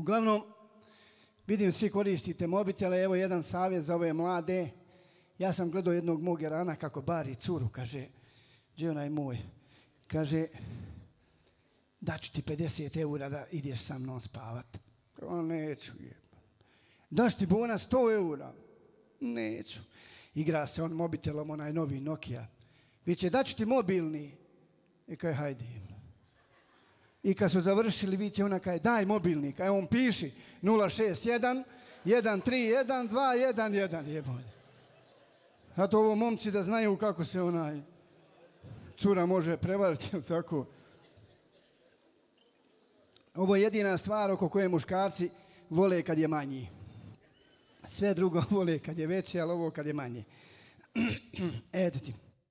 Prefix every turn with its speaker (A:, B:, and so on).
A: Uglavnom, vidim svi koristite mobitele, evo jedan savjet za ove mlade. Ja sam gledao jednog mog Irana kako bari curu, kaže, gdje onaj moj, kaže, daću ti 50 eura da ideš sa mnom spavat. Kao, neću jeba. Daš ti bona 100 eura? Neću. Igra se on mobitelom, onaj novi Nokia. Viće, daću ti mobilni. I kaj, hajde. I kad su završili, viće ona kaj, daj mobilni. Kaj on piši 061 131 211 jeboj. A to ovo momci da znaju kako se onaj cura može prevariti, tako. Ovo je jedina stvar oko koje muškarci vole kad je manji. Sve drugo vole kad je veće, ali ovo kad je manje. Eto ti.